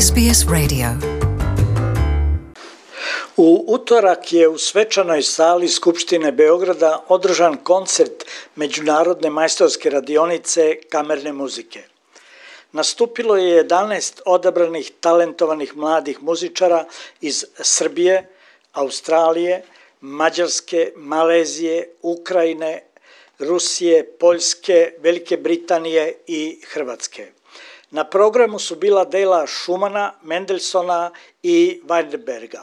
SBS Radio. U utorak je u svečanoj sali Skupštine Beograda održan koncert Međunarodne majstorske radionice kamerne muzike. Nastupilo je 11 odabranih talentovanih mladih muzičara iz Srbije, Australije, Mađarske, Malezije, Ukrajine, Rusije, Poljske, Velike Britanije i Hrvatske. Na programu su bila dela Schumana, Mendelssohna i Weinberga.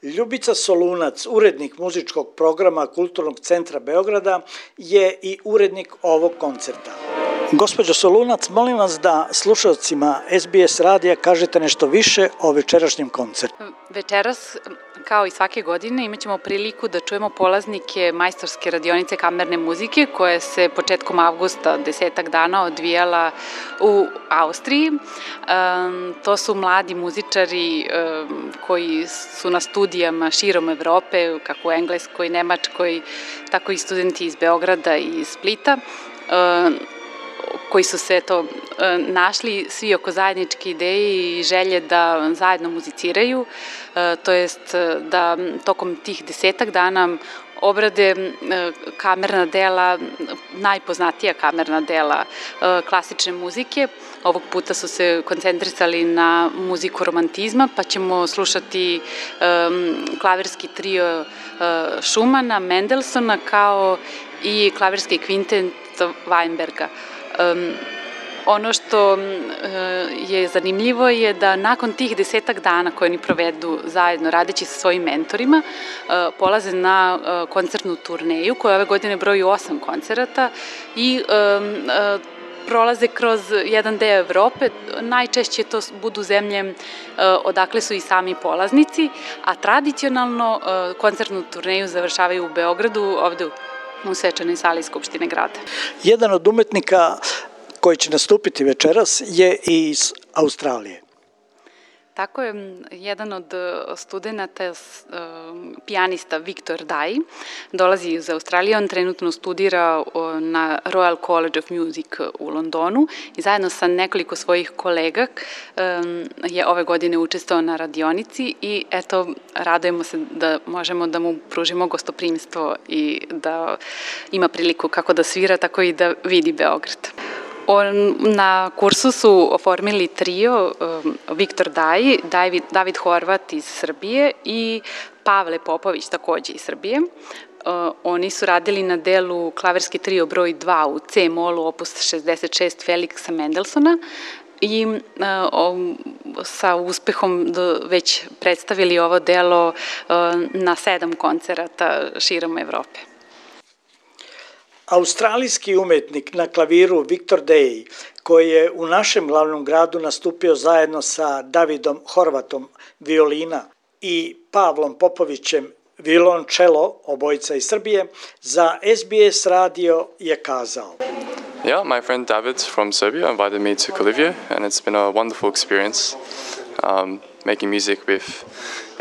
Ljubica Solunac, urednik muzičkog programa Kulturnog centra Beograda, je i urednik ovog koncerta. Gospođo Solunac, molim vas da slušalcima SBS radija kažete nešto više o večerašnjem koncertu. Večeras, kao i svake godine, imat ćemo priliku da čujemo polaznike majstorske radionice kamerne muzike koja se početkom avgusta 10 dana odvijala u Austriji. To su mladi muzičari koji su na studijama širom Evrope, kako u Engleskoj, Nemačkoj, tako i studenti iz Beograda i iz Splita, koji su se našli svi oko zajedničke ideje i želje da zajedno muziciraju, to jest da tokom tih 10 dana obrade kamerna dela, najpoznatija kamerna dela klasične muzike. Ovog puta su se koncentrisali na muziku romantizma, pa ćemo slušati klavirski trio Schumana, Mendelssohna, kao i klavirski kvintet Weinberga. Ono što je zanimljivo je da nakon tih 10 dana koje oni provedu zajedno radeći sa svojim mentorima, polaze na koncertnu turneju koja ove godine broji 8 koncerata i prolaze kroz jedan deo Evrope. Najčešće to budu zemlje odakle su i sami polaznici, a tradicionalno koncertnu turneju završavaju u Beogradu, ovde u svečanoj sali Skupštine grada. Jedan od umetnika koji će nastupiti večeras je i iz Australije. Tako je, jedan od studenta, pijanista Viktor Daj, dolazi iz Australije. On trenutno studira na Royal College of Music u Londonu i zajedno sa nekoliko svojih kolega je ove godine učestvovao na radionici i eto, radujemo se da možemo da mu pružimo gostoprimstvo i da ima priliku kako da svira, tako i da vidi Beograd. Na kursu su oformili trio Viktor Daj, David Horvat iz Srbije i Pavle Popović, takođe iz Srbije. Oni su radili na delu klavirski trio broj 2 u C-molu opus 66 Feliksa Mendelssohna i sa uspehom već predstavili ovo delo na 7 koncerata širom Evrope. Australijski umetnik na klaviru Viktor Daj, koji je u našem glavnom gradu nastupio zajedno sa Davidom Horvatom violina i Pavlom Popovićem violončelo, obojica iz Srbije, za SBS radio je kazao. Yeah, my friend David from Serbia invited me to Kolivje, and it's been a wonderful experience making music with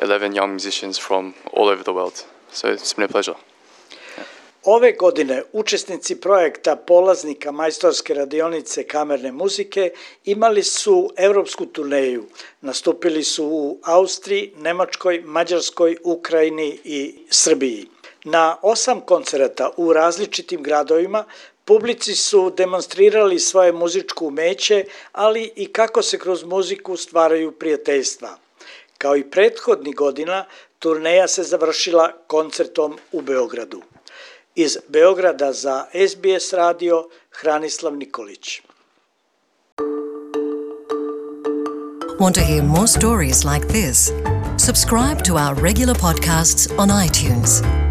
11 young musicians from all over the world. So it's been a pleasure. Ove godine učesnici projekta polaznika majstorske radionice kamerne muzike imali su evropsku turneju. Nastupili su u Austriji, Nemačkoj, Mađarskoj, Ukrajini i Srbiji. Na 8 koncerata u različitim gradovima publici su demonstrirali svoje muzičko umeće, ali i kako se kroz muziku stvaraju prijateljstva. Kao i prethodnih godina, turneja se završila koncertom u Beogradu. Iz Beograda za SBS radio, Hranislav Nikolić. Want to hear more stories like this? Subscribe to our regular podcasts on iTunes.